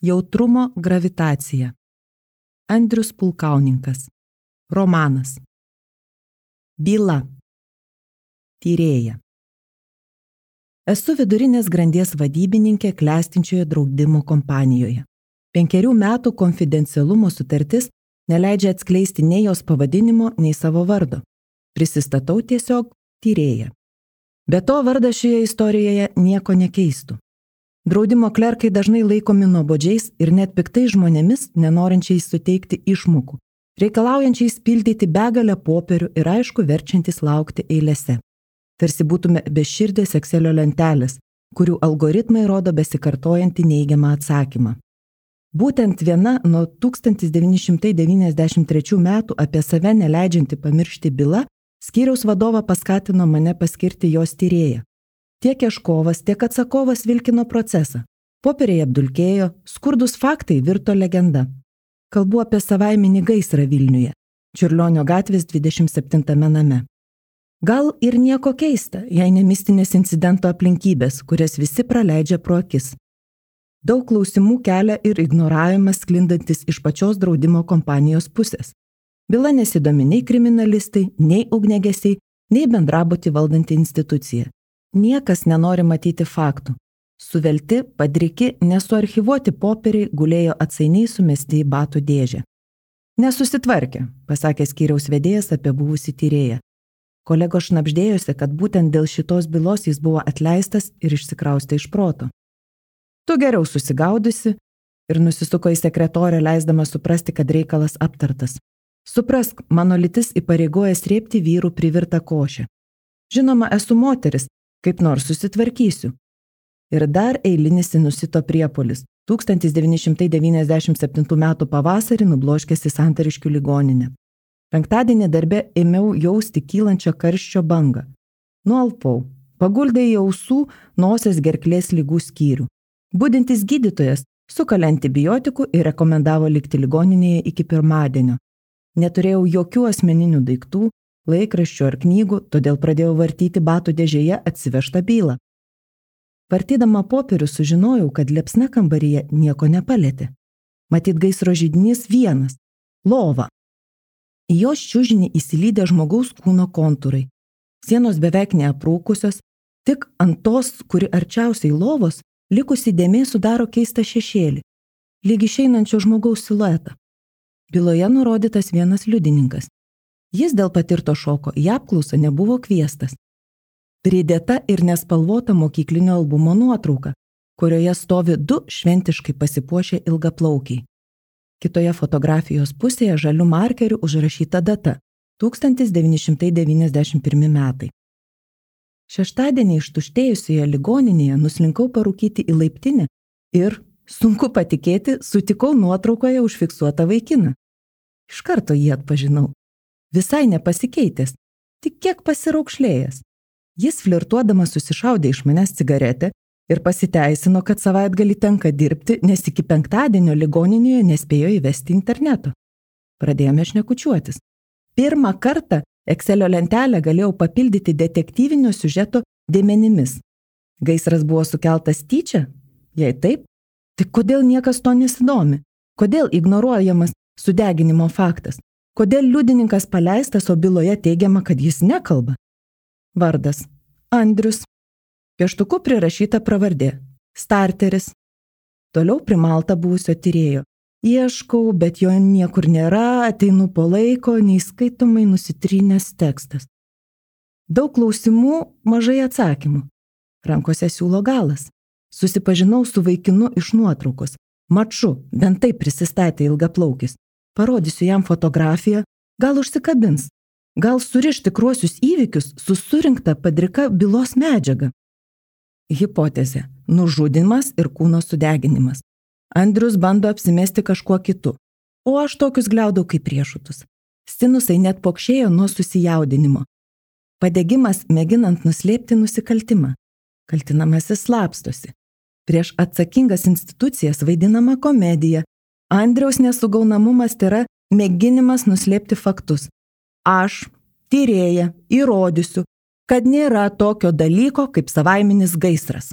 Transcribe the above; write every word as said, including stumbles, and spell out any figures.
Jautrumo gravitacija. Andrius Pulkauninkas. Romanas. Byla. Tyrėja. Esu vidurinės grandies vadybininkė klestinčioje draudimo kompanijoje. Penkerių metų konfidencialumo sutartis neleidžia atskleisti nei jos pavadinimo, nei savo vardo. Prisistatau tiesiog tyrėja. Be to vardas šioje istorijoje nieko nekeistų. Draudimo klerkai dažnai laikomi nuobodžiais ir net piktais žmonėmis, nenorinčiais suteikti išmokų, reikalaujančiais pildyti begalę popierių ir aišku verčiantis laukti eilėse. Tarsi būtume beširdės Excelio lentelės, kurių algoritmai rodo besikartojantį neigiamą atsakymą. Būtent viena nuo tūkstantis devyni šimtai devyniasdešimt trečių metų apie save neleidžianti pamiršti byla, skyriaus vadovą paskatino mane paskirti jos tyrėją. Tiek ieškovas, tiek atsakovas vilkino procesą. Popieriai apdulkėjo, skurdus faktai virto legenda. Kalbu apie savaiminį gaisrą Vilniuje, Čiurlionio gatvės dvidešimt septintame name. Gal ir nieko keista, jei ne mistinės incidento aplinkybės, kurias visi praleidžia pro akis. Daug klausimų kelia ir ignoravimas sklindantis iš pačios draudimo kompanijos pusės. Byla nesidomi nei kriminalistai, nei ugniagesiai, nei bendrabutį valdanti institucija. Niekas nenori matyti faktų. Suvelti, padriki, nesuarchyvuoti popieriai gulėjo atsainiai sumesti į batų dėžę. Nesusitvarkė, pasakė skyriaus vedėjas apie buvusį tyrėją. Kolegos šnabždėjosi, kad būtent dėl šitos bylos jis buvo atleistas ir išsikraustė iš proto. Tu geriau susigaudysi ir nusisuko į sekretorę, leisdama suprasti, kad reikalas aptartas. Suprask, mano lytis įpareigoja srėbti vyrų privirtą košę. Žinoma, esu moteris, kaip nors susitvarkysiu. Ir dar eilinis sinusito priepuolis. tūkstantis devyni šimtai devyniasdešimt septintų metų pavasarį nubloškėsi Santariškių ligoninę. Penktadienį darbe ėmiau jausti kylančią karščio bangą. Nualpau. Paguldė į ausų, nosies gerklės ligų skyrių. Budintis gydytojas sukalė antibiotikų ir rekomendavo likti ligoninėje iki pirmadienio. Neturėjau jokių asmeninių daiktų, laikraščių ar knygų, todėl pradėjau vartyti batų dėžėje atsivežtą bylą. Vartydama popierių sužinojau, kad liepsna kambaryje nieko nepalietė. Matyt, gaisro židinys vienas – lova. Į jos čiužinį įsilydė žmogaus kūno kontūrai. Sienos beveik neaprūkusios, tik ant tos, kuri arčiausiai lovos, likusi dėmė sudaro keistą šešėlį, lyg išeinančio žmogaus siluetą. Byloje nurodytas vienas liudininkas. Jis dėl patirto šoko į apklausą nebuvo kviestas. Pridėta ir nespalvota mokyklinio albumo nuotrauka, kurioje stovi du šventiškai pasipuošę ilgaplaukiai. Kitoje fotografijos pusėje žaliu markeriu užrašyta data – tūkstantis devyni šimtai devyniasdešimt pirmi metai. Šeštadienį ištuštėjusioje ligoninėje nuslinkau parūkyti į laiptinę ir, sunku patikėti, sutikau nuotraukoje užfiksuotą vaikiną. Iš karto jį atpažinau. Visai nepasikeitęs, tik kiek pasiraukšlėjęs. Jis flirtuodamas susišaudė iš manęs cigaretę ir pasiteisino, kad savaitgalį tenka dirbti, nes iki penktadienio ligoninėje nespėjo įvesti interneto. Pradėjome šnekučiuotis. Pirmą kartą Excelio lentelę galėjau papildyti detektyvinio siužeto dėmenimis. Gaisras buvo sukeltas tyčia? Jei taip, tai kodėl niekas to nesidomi? Kodėl ignoruojamas sudeginimo faktas? Kodėl liudininkas paleistas, o byloje teigiama, kad jis nekalba? Vardas – Andrius. Pieštuku prirašyta pravardė – Starteris. Toliau primalta buvusio tyrėjo. Ieškau, bet jo niekur nėra, ateinu po laiko, neįskaitomai nusitrynęs tekstas. Daug klausimų, mažai atsakymų. Rankose siūlo galas. Susipažinau su vaikinu iš nuotraukos. Maču, bent taip prisistatė ilgaplaukis. Parodysiu jam fotografiją, gal užsikabins, gal suriš tikruosius įvykius su surinkta padrika bylos medžiaga. Hipotezė – nužudymas ir kūno sudeginimas. Andrius bando apsimesti kažkuo kitu, o aš tokius gliaudau kaip riešutus. Sinusai net pokšėjo nuo susijaudinimo. Padegimas mėginant nuslėpti nusikaltimą. Kaltinamasis slapstosi. Prieš atsakingas institucijas vaidinama komedija. Andriaus nesugaunamumas tai yra mėginimas nuslėpti faktus. Aš, tyrėja, įrodysiu, kad nėra tokio dalyko kaip savaiminis gaisras.